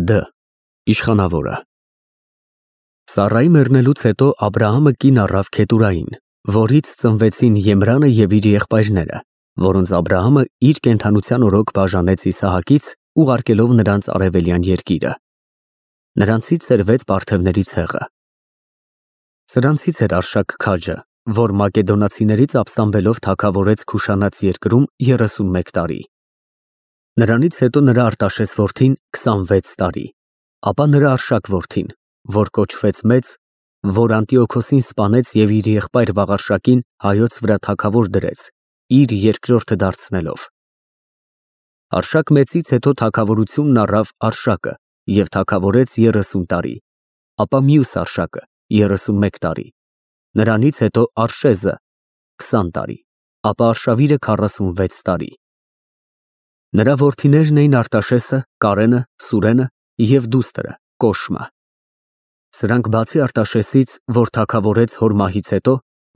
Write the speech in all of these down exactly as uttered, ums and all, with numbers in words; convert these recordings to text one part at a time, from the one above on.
Դ. Իշխանավորը։ Սառայի մեռնելուց հետո Աբրահամը կին առավ Քետուրային, որից ծնվեցին Եմրանը և իր եղբայրները, որոնց Աբրահամը իր կենդանության օրոք բաժանեց Իսահակից, ուղարկելով նրանց արևելյան երկիրը։ Նրանցից սերվեց պարթևների ցեղը։ Սրանցից էր Արշակ քաջը, որ մակեդոնացիներից ապստամբելով թագավորեց Քուշանաց երկրում երեսունմեկ տարի։ Նրանից հետո նրա Արտաշես որդին քսանվեց տարի, ապա նրա Արշակ որդին, որ կոչվեց մեծ, որ Անտիոքոսին սպանեց և իր եղբայր Վաղարշակին հայոց վրա թագավոր դրեց, իր երկրորդը դարձնելով։ Արշակ մեծից հետո թագավորությունն առավ Արշակը և թագավորեց երեսուն տարի, ապա մյուս Արշակը երեսունմեկ տարի, նրանից հետո Արշեզը քսան տարի, ապա Արշավիրը քառասունվեց տարի։ Նրա որդիներն էին Արտաշեսը, Կարենը, Սուրենը և դուստրը Կոշմը։ Սրանք բացի Արտաշեսից, որ թագավորեց հոր մահից հետո,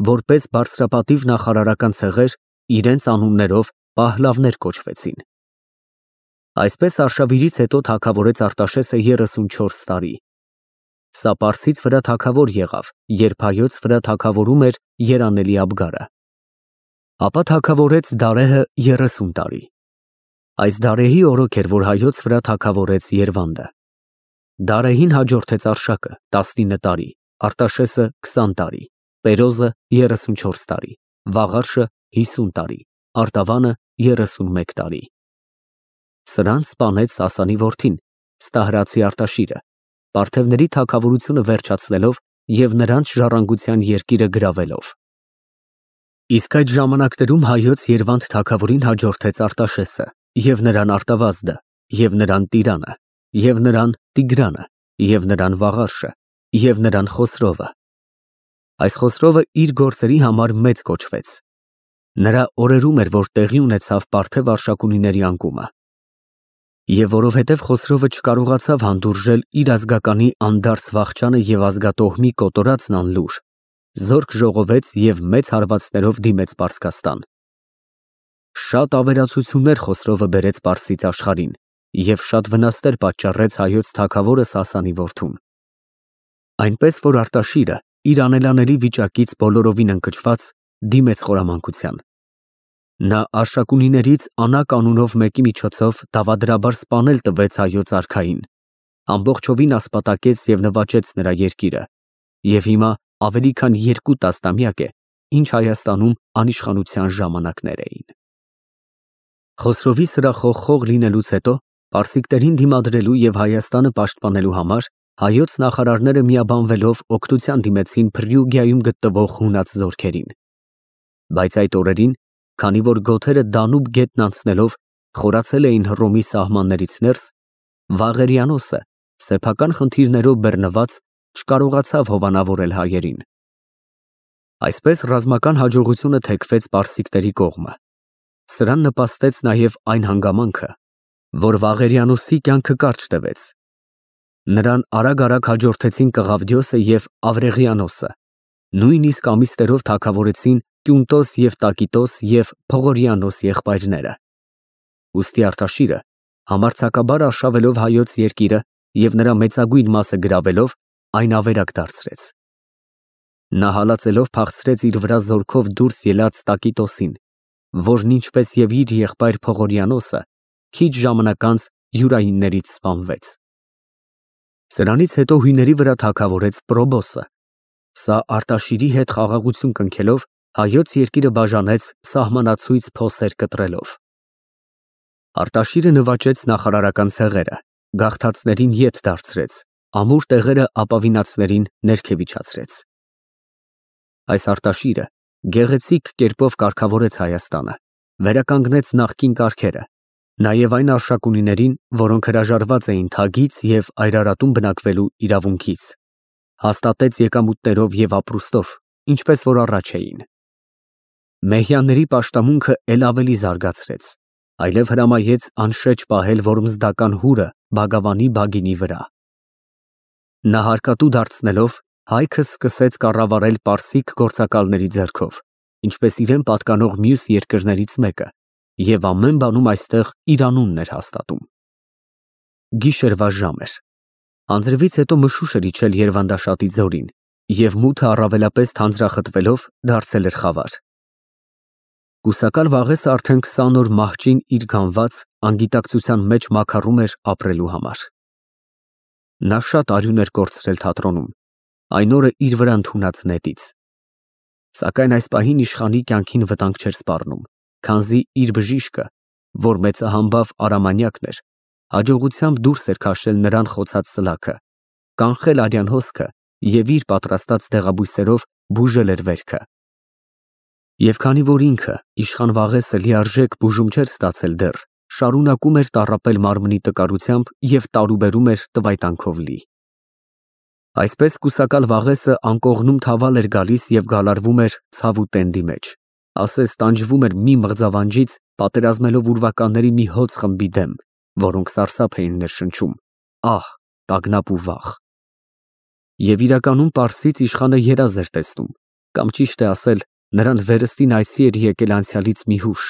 որպես բարձրապատիվ նախարարական ցեղեր, իրենց անուններով պահլավներ կոչվեցին։ Այսպես Արշավիրից հետո թագավորեց Արտաշեսը երեսունչորս տարի։ Սա Պարսից վրա թագավոր եղավ, երբ հայոց վրա թագավորում էր երանելի Աբգարը։ Ապա թագավորեց Դարեհը երեսուն տարի։ Այս Դարեհի օրոք էր, որ հայոց վրա թագավորեց Երվանդը։ Դարեհին հաջորդեց Արշակը տասնինը տարի, Արտաշեսը քսան տարի, Պերոզը երեսունչորս տարի, Վաղարշը հիսուն տարի, Արտավանը երեսունմեկ տարի։ Սրան սպանեց Սասանի որդին, Ստահրացի Արտաշիրը, պարթևների թագավորությունը վերջացնելով և նրանց ժառանգության երկիրը գրավելով։ Իսկ այդ ժամանակներում հայոց Երվանդ թագավորին հաջորդեց Արտաշեսը, և նրան Արտավազդը, և նրան Տիրանը, և նրան Տիգրանը, և նրան Վաղարշը, և նրան Խոսրովը։ Այս Խոսրովը իր գործերի համար մեծ կոչվեց։ Նրա օրերում էր, որ տեղի ունեցավ պարթև Արշակունիների անկումը։ Եվ որովհետև Խոսրովը չկարողացավ հանդուրժել իր ազգականի անդարձ վախճանը և ազգատոհմի կոտորածն անլուր, զորք ժողովեց և մեծ հարվածներով դիմեց Պարսկաստան։ Շատ ավերածություններ Խոսրովը բերեց Պարսից աշխարհին և շատ վնասներ պատճառեց հայոց թագավորը Սասանի որդուն։ Այնպես որ Արտաշիրը իր անելանելի վիճակից բոլորովին ընկճված դիմեց խորամանկության։ Նա Արշակունիներից Անակ անունով մեկի միջոցով դավադրաբար սպանել տվեց հայոց արքային, ամբողջովին ասպատակեց և նվաճեց նրա երկիրը, և հիմա ավելի քան երկու տասնամյակ է, ինչ Հայաստանում անիշխանության ժամանակներ էին։ Խոսրովի սրախոխ լինելուց հետո պարսիկներին դիմադրելու և Հայաստանը պաշտպանելու համար հայոց նախարարները միաբանվելով օգնության դիմեցին Փրիուգիայում գտնվող հունաց զորքերին։ Բայց այդ օրերին, քանի որ գոթերը Դանուբ գետն անցնելով խորացել էին Հռոմի սահմաններից ներս, Վաղերիանոսը, սեփական խնդիրներով բռնված, չկարողացավ հովանավորել հայերին։ Այսպես ռազմական հաջողությունը թեքվեց պարսիկների կողմը։ Սրան նպաստեց նաև այն հանգամանքը, որ Վաղերիանոսի կյանքը կարճ տևեց։ Նրան արագ-արագ հաջորդեցին Կղավդիոսը և Ավրեղիանոսը, նույնիսկ ամիսներով թագավորեցին Կյունտոս և Տակիտոս և Փողորիանոս եղբայրները։ Ուստի Արտաշիրը, համարձակաբար արշավելով հայոց երկիրը և նրա մեծագույն մասը գրավելով, այն ավերակ դարձրեց։ Նա հալածելով փախցրեց իր վրա զորքով դուրս ելած Տակիտոսին, որն ինչպես և իր եղբայր Փողորիանոսը, քիչ ժամանակ անց յուրայիններից սպանվեց։ Սրանից հետո հույների վրա թագավորեց Պրոբոսը։ Սա Արտաշիրի հետ խաղաղություն կնքելով հայոց երկիրը բաժանեց սահմանացույց փոսեր կտրելով։ Արտաշիրը նվաճեց նախարարական ցեղերը, գաղթածներին ետ դարձրեց, ամուր տեղերը ապավինածներին ներքևիջացրեց։ Այս Արտաշիրը գեղեցիկ կերպով կարգավորեց Հայաստանը, վերականգնեց նախկին կարգերը, նաև այն Արշակունիներին, որոնք հրաժարված էին թագից և Այրարատում բնակվելու իրավունքից, հաստատեց եկամուտներով և ապրուստով, ինչպես որ առաջ էին։ Մեհյանների պաշտամունքը էլ ավելի զարգացրեց, այլև հրամայեց անշեջ պահել որմզդական հուրը Բագավանի Բագինի վրա։ Նա հարկատու դարձնելով, հայքը սկսեց կառավարել պարսիկ գործակալների ձեռքով, ինչպես իրեն պատկանող մյուս երկրներից մեկը, և ամեն բանում այստեղ իր անունն էր հաստատում։ Գիշերվա ժամ էր։ Անձրևից հետո մշուշ էր իջել Երվանդաշատի ձորին, և մութը առավելապես թանձրախտվելով դարձել էր խավար։ Կուսակալ Վաղեսը արդեն քսան օր մահճին իր գանված անգիտակցության մեջ մաքարում էր ապրելու համար։ Նա շատ արյուն էր կորցրել թատրոնում, այն օրը իր վրա ընդունած նետից։ Սակայն այս պահին իշխանի կյանքին վտանգ չէր սպառնում, քանզի իր բժիշկը, որ մեծահամբավ Արամանյակն էր, հաջողությամբ դուրս էր քաշել նրան խոցած սլաքը, կանխել արյան հոսքը և իր պատրաստած դեղաբույսերով բուժել էր վերքը։ Եվ քանի որ ինքը, իշխան Վաղեսը, լիարժեք բուժում չէր ստացել դեռ, շարունակում էր տառապել մարմնի տկարությամբ և տարուբերում էր տվայտանքով լի։ Այսպես կուսակալ Վաղեսը անկողնում թավալ էր գալիս և գալարվում էր ցավ ու տենդի մեջ, ասես տանջվում էր մի մղձավանջից, պատերազմելով ուրվականների մի հոծ խմբի դեմ, որոնք սարսափ էին ներշնչում, ահ, տագնապ ու վախ։ Եվ իրականում պարսից իշխանը երազ էր տեսնում, կամ ճիշտ է ասել, նրան վերստին այցի էր եկել անցյալից մի հուշ,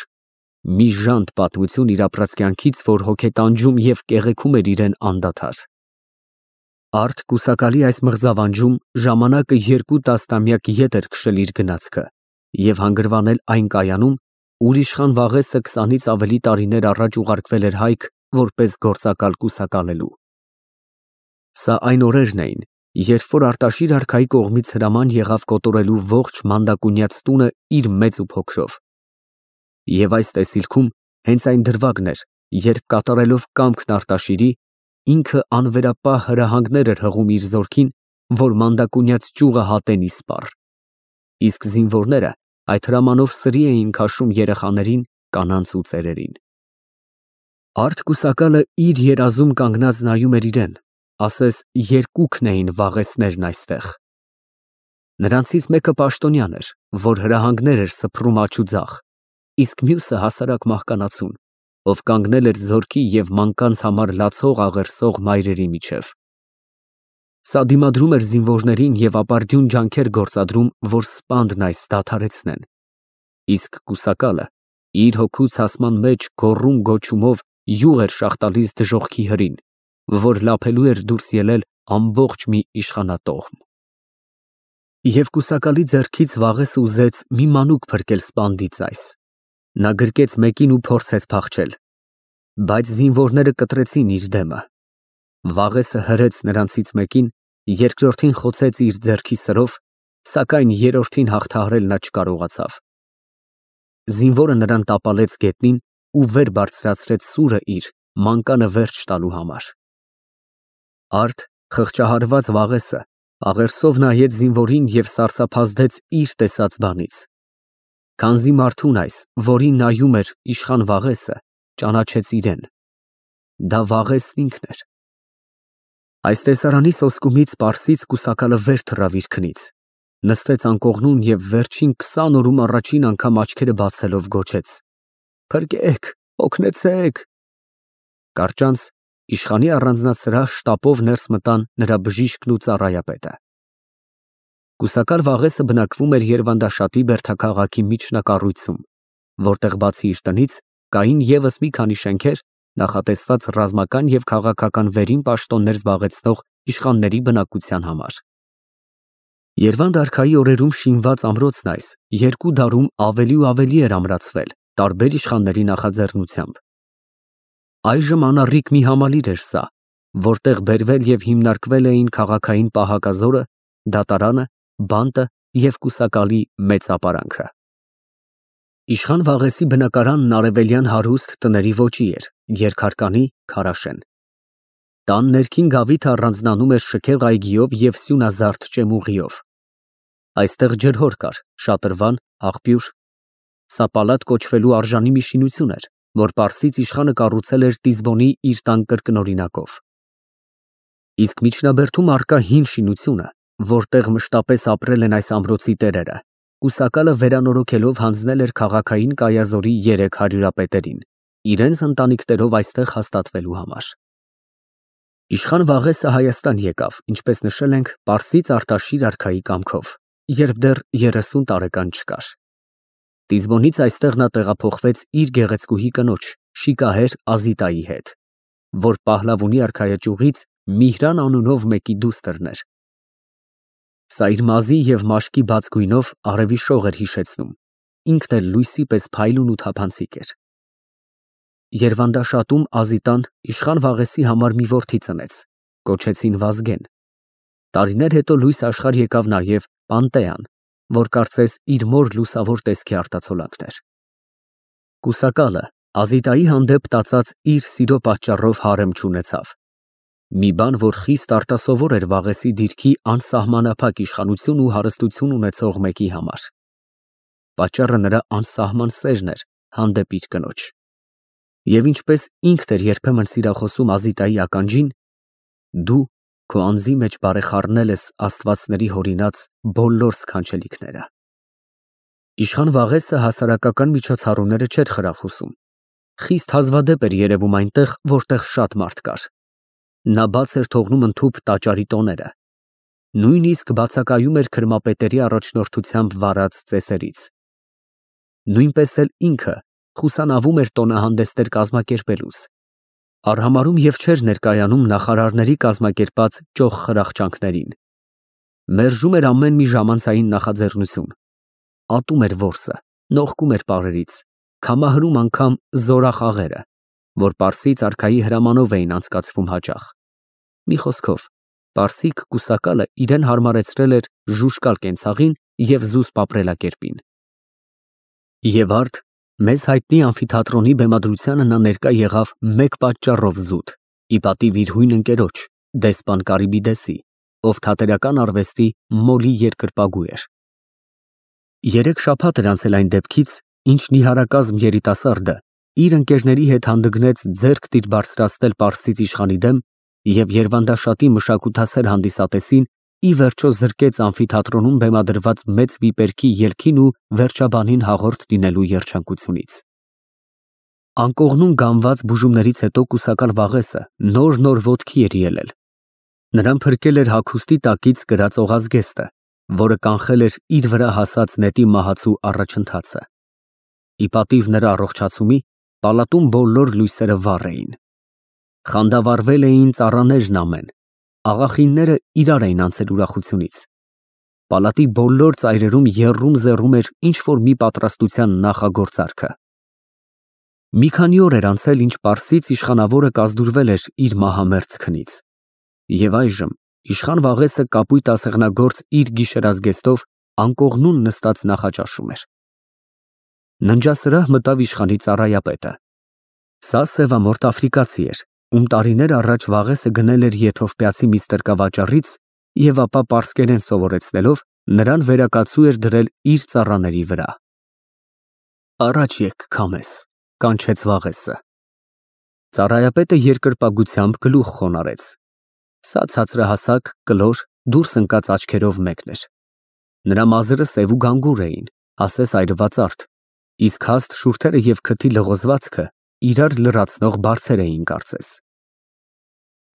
մի ժանտ պատմություն իր ապրած կյանքից, որ հոգետանջում և կեղեքում էր իրեն անդադար։ Արդ կուսակալի այս մղձավանջում ժամանակը երկու տասնամյակ ետ էր քշել իր գնացքը և հանգրվանել այն կայանում, ուր իշխան Վաղեսը քսանից ավելի տարիներ առաջ ուղարկվել էր հայք որպես գործակալ կուսակալելու։ Սա այն օրերն էին, երբ որ Արտաշիր արքայի կողմից հրաման եղավ կոտորելու ողջ Մանդակունյաց տունը իր մեծ ու փոքրով։ Եվ այս տեսիլքում հենց այն դրվագն էր, երբ կատարելով կամքն Արտաշիրի, ինքը անվերապահ հրահանգներ էր հղում իր զորքին, որ Մանդակունյաց ճյուղը հատեն ի սպառ։ Իսկ զինվորները այդ հրամանով սրի էին քաշում երեխաներին, կանանց ու ծերերին։ Արդ կուսակալը իր երազում կանգնած նայում էր իրեն, ասես երկուքն էին Վաղեսներն այստեղ։ Նրանցից մեկը պաշտոնյան էր, որ հրահանգներ էր սփռում աջ ու ձախ, իսկ մյուսը հասարակ մահկանացուն, ով կանգնել էր զորքի և մանկանց համար լացող աղերսող մայրերի միջև։ Սա դիմադրում էր զինվորներին և ապարդյուն ջանքեր գործադրում, որ սպանդն այս դադարեցնեն, իսկ կուսակալը իր հոգու ցասման մեջ գոռում֊գոչումով յուղ էր շաղ տալիս դժոխքի հրին, որ լափելու էր դուրս ելել ամբողջ մի իշխանատոհմ։ Եվ կուսակալի ձեռքից Վաղեսը ուզեց մի մանուկ փրկել սպանդից այս։ Նա գրկեց մեկին ու փորձեց փախչել, բայց զինվորները կտրեցին իր դեմը։ Վաղեսը հրեց նրանցից մեկին, երկրորդին խոցեց իր ձեռքի սրով, սակայն երրորդին հաղթահարել նա չկարողացավ։ Զինվորը նրան տապալեց գետնին ու վեր բարձրացրեց սուրը իր, մանկանը վերջ տալու համար։ Արդ խղճահարված Վաղեսը աղերսով նայեց զինվորին և սարսափազդեց իր տեսած բանից։ Քանզի մարդուն այս, որին նայում էր իշխան Վաղեսը, ճանաչեց իրեն։ Դա Վաղեսն ինքն էր։ Այս տեսարանի սոսկումից պարսից կուսակալը վեր թռավ իր քնից, նստեց անկողնում և վերջին քսան օրում առաջին անգամ աչքերը բացելով գոչեց. «Փրկեք, օգնեցեք»։ Կարճանց իշխանի առանձնասրահ շտապով ներս մտան նրա բժիշկն ու ծառայապետը։ Կուսակալ Վաղեսը բնակվում էր Երվանդաշատի բերդաքաղաքի միջնակառույցում, որտեղ բացի իր տնից կային ևս մի քանի շենքեր, նախատեսված ռազմական և քաղաքական վերին պաշտոններ զբաղեցնող իշխանների բնակության համար։ Երվանդ արքայի օրերում շինված ամրոցն այս երկու դարում ավելի ու ավելի էր ամրացվել տարբեր իշխանների նախաձեռնությամբ։ Այժմ անառիկ մի համալիր էր սա, որտեղ բերվել և հիմնարկվել էին քաղաքային պահակազորը, դատարանը, բանտը և կուսակալի մեծ ապարանքը։ Իշխան Վաղեսի բնակարանն արևելյան հարուստ տների ոճի էր, երկհարկանի, քարաշեն։ Տան ներքին գավիթը առանձնանում էր շքեղ այգիով և սյունազարդ ճեմուղիով։ Այստեղ ջրհոր կար, շատրվան, աղբյուր։ Սա պալատ կոչվելու արժանի մի շինություն էր, որ պարսից իշխանը կառուցել էր Տիզբոնի իր տան կրկնօրինակով։ Իսկ միջնաբերդում առկա հին շինությունը, որտեղ մշտապես ապրել են այս ամրոցի տերերը, կուսակալը վերանորոգելով հանձնել էր քաղաքային կայազորի երեք հարյուրապետերին, իրենց ընտանիքներով այստեղ հաստատվելու համար։ Իշխան Վաղեսը Հայաստան եկավ, ինչպես նշել ենք, պարսից Արտաշիր արքայի կամքով, երբ դեռ երեսուն տարեկան չկար։ Տիզբոնից այստեղ նա տեղափոխվեց իր գեղեցկուհի կնոջ՝ շիկահեր Ազիտայի հետ։ որ Պահլավոնի արքայաճյուղից Միհրան անունով մեկի դուստրն էր։ Սա իր մազի և մաշկի բաց գույնով արևի շող էր հիշեցնում, ինքն էլ լույսի պես փայլուն ու թափանցիկ էր։ Երվանդաշատում Ազիտան իշխան Վաղեսի համար մի որդի ծնեց, կոչեցին Վազգեն։ Տարիներ հետո լույս աշխարհ եկավ նաև Պանտեան, որ կարծես իր մոր լուսավոր տեսքի արտացոլանքն էր։ Կուսակալը Ազիտայի հանդեպ տածած իր սիրո պատճառով հարեմ չունեցավ։ Մի բան, որ խիստ արտասովոր էր Վաղեսի դիրքի անսահմանափակ իշխանություն ու հարստություն ունեցող մեկի համար։ Պատճառը նրա անսահման սերն էր հանդեպ իր կնոջ։ Եվ ինչպես ինքն էր երբեմն սիրախոսում Ազիտայի ականջին, դու քո անձի մեջ բարեխառնել ես աստվածների հորինած բոլոր սքանչելիքները։ Իշխան Վաղեսը հասարակական միջոցառումները չէր խրախուսում։ Խիստ հազվադեպ էր երևում այնտեղ, որտեղ շատ մարդ կար։ Նա բաց էր թողնում ընդհուպ տաճարի տոները։ Նույնիսկ բացակայում էր քրմապետերի առաջնորդությամբ վարած ծեսերից։ Նույնպես էլ ինքը խուսանավում էր տոնահանդեսներ կազմակերպելուց։ Արհամարհում և չէր ներկայանում նախարարների կազմակերպած ճոխ խրախճանքներին։ Մերժում էր ամեն մի ժամանցային նախաձեռնություն։ Ատում էր որսը, նողկում էր պարերից, քամահրում անգամ զորախաղերը, որ պարսից արքայի հրամանով էին անցկացվում հաճախ։ Մի խոսքով, պարսիկ կուսակալը իրեն հարմարեցրել էր ժուժկալ կենցաղին և զուսպ ապրելակերպին։ Եվ արդ մեզ հայտնի ամֆիթատրոնի բեմադրությանը նա ներկա եղավ մեկ պատճառով զուտ, ի պատիվ իր հույն ընկերոջ, դեսպան Կարիբիդեսի, ով թատերական արվեստի մոլի երկրպագու էր։ Երեք շաբաթ էր անցել այն դեպքից, ինչ նիհարակազմ երիտասարդը իր ընկերների հետ հանդգնեց ձեռք տիր բարձրացնել պարսից իշխանի դեմ և երվանդաշատի մշակութասեր հանդիսատեսին ի վերջո զրկեց ամֆիթատրոնում բեմադրված մեծ վիպերքի ելքին ու վերջաբանին հաղորդ լինելու երջանկությունից։ Անկողնում գանված բուժումներից հետո կուսակալ Վաղեսը նոր-նոր ոտքի էր ելել։ Նրան փրկել էր հագուստի տակից կրած օղազգեստը, որը կանխել էր իր վրա հասած նետի մահացու առաջընթացը։ Ի պատիվ նրա առողջացումի, պալատում բոլոր լույսերը վառ էին։ Խանդավառվել էին ծառաներն ամեն, աղախինները իրար էին անցել ուրախությունից։ Պալատի բոլոր ծայրերում եռում-զեռում էր ինչ-որ մի պատրաստության նախագործարքը։ Մի քանի օր էր անցել, ինչ պարսից իշխանավորը կազդուրվել էր իր մահամերձ քնից։ Եվ այժմ իշխան Վաղեսը կապույտ ասեղնագործ իր գիշերազգեստով անկողնուն նստած նախաճաշում էր։ Ննջասրահ մտավ իշխանի ծառայապետը։ Սա սևամորթ աֆրիկացի էր, ում տարիներ առաջ Վաղեսը գնել էր եթովպիացի մի ստրկավաճառից և ապա պարսկերեն սովորեցնելով նրան վերակացու էր դրել իր ծառաների վրա։ Առաջ եկ, քամես, կանչեց Վաղեսը։ Ծառայապետը երկրպագությամբ գլուխ խոնարհեց։ Սա ցածրահասակ, կլոր, դուրս ընկած աչքերով մեկն էր։ Նրա մազերը սև ու գանգուր էին, ասես այրված արդ, իսկ հաստ շուրթերը և քթի լղոզվածքը իրար լրացնող բարձեր էին կարծես։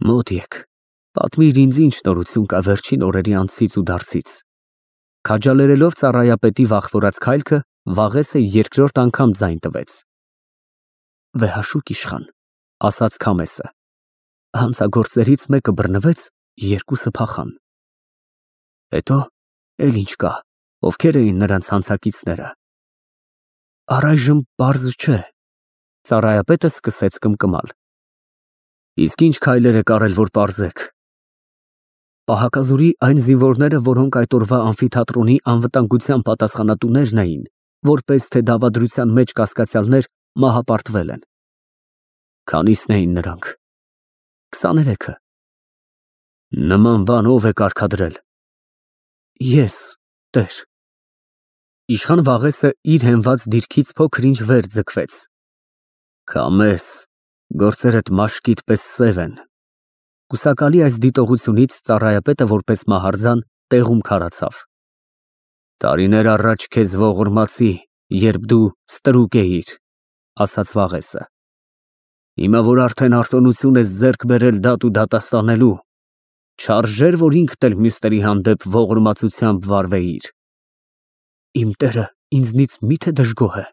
Մոտ եկ, պատմիր ինձ ինչ նորություն կա վերջին օրերի անցից ու դարձից։ Քաջալերելով ծառայապետի վախվորած քայլքը, Վաղեսը երկրորդ անգամ ձայն տվեց։ Վեհաշուկ իշխան, ասաց քամեսը, հանցագործներից մեկը բռնվեց, երկուսը փախան։ Հետո, էլ ինչ կա, ովքեր էին նրանց հանցակիցները։ Առայժմ պարզ չէ։ Ծառայապետը սկսեց կմկմալ։ Իսկ ինչ քայլեր եք արել, որ պարզեք։ Պահակազորի այն զինվորները, որոնք այդ օրվա ամֆիթատրոնի անվտանգության պատասխանատուներն էին, որպես թե դավադրության մեջ կասկածյալներ, մահապարտվել են։ Քանիսն էին նրանք։ Քսաներեքը։ Նման բան ով է կարգադրել։ Ես, տեր։ Իշխան Վաղեսը իր հենված դիրքից փոքր-ինչ վեր ձգվեց։ Քամես, գործերդ մաշկիդ պես սև են։ Կուսակալի այս դիտողությունից ծառայապետը որպես մահարձան տեղում քարացավ։ Տարիներ առաջ քեզ ողորմացի, երբ դու ստրուկ էիր, ասաց Վաղեսը։ Հիմա որ արդեն արտոնություն ես ձեռք բերել դատ ու դատաստանելու, չարժեր, որ ինքդ էլ մյուսների հանդեպ ողորմածությամբ վարվեիր։ Իմ տերը ինձնից մի՞թե դժգոհ է։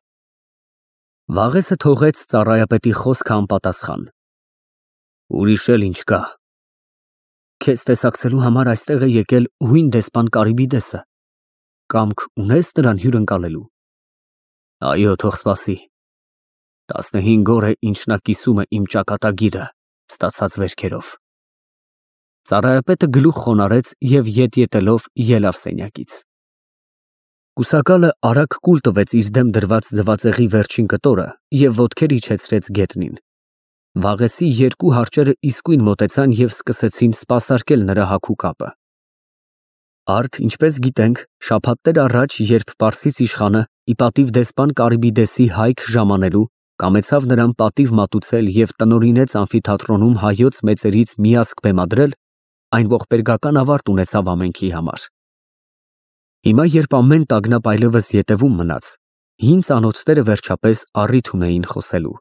Վաղեսը թողեց ծառայապետի խոսքը անպատասխան։ Ուրիշ էլ ինչ կա։ Քեզ տեսակցելու համար այստեղ է եկել հույն դեսպան Կարիբիդեսը։ Կամք ունես նրան հյուրընկալելու։ Այո, թող սպասի։ Տասնհինգ օր է, ինչ նա կիսում է իմ ճակատագիրը ստացած վերքերով։ Ծառայապետը գլուխ խոնարհեց և ետ ետելով ելավ սենյակից։ Կուսակալը արագ կուլ տվեց իր դեմ դրված ձվածեղի վերջին կտորը և ոտքեր իջեցրեց գետնին։ Վաղեսի երկու հարճերը իսկույն մոտեցան և սկսեցին սպասարկել նրա հագու կապը։ Արդ, ինչպես գիտենք, շաբաթներ առաջ, երբ պարսից իշխանը ի պատիվ դեսպան Կարիբիդեսի հայք ժամանելու, կամեցավ նրան պատիվ մատուցել և տնօրինեց ամֆիթատրոնում հայոց մեծերից միասկ բեմադրել, այն ողբերգական ավարտ ունեցավ ամենքի համար։ Հիմա, երբ ամեն տագնապ այլևս ետևում մնաց, հին ծանոթները վերջապես առիթ ունեին խոսելու։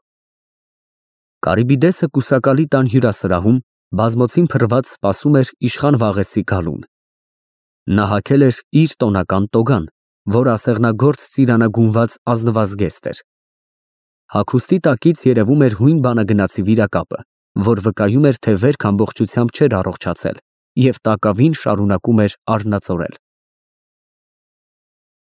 Կարիբիդեսը կուսակալի տան հյուրասրահում բազմոցին փռված սպասում էր իշխան Վաղեսի գալուն։ Նա հագել էր իր տոնական տոգան, որ ասեղնագործ ծիրանագունված ազնվազգեստ էր։ Հագուստի տակից երևում էր հույն բանագնացի վիրակապը, որ վկայում էր, թե վերք ամբողջությամբ չէր առողջացել և տակավին շարունակում էր արհնացորել։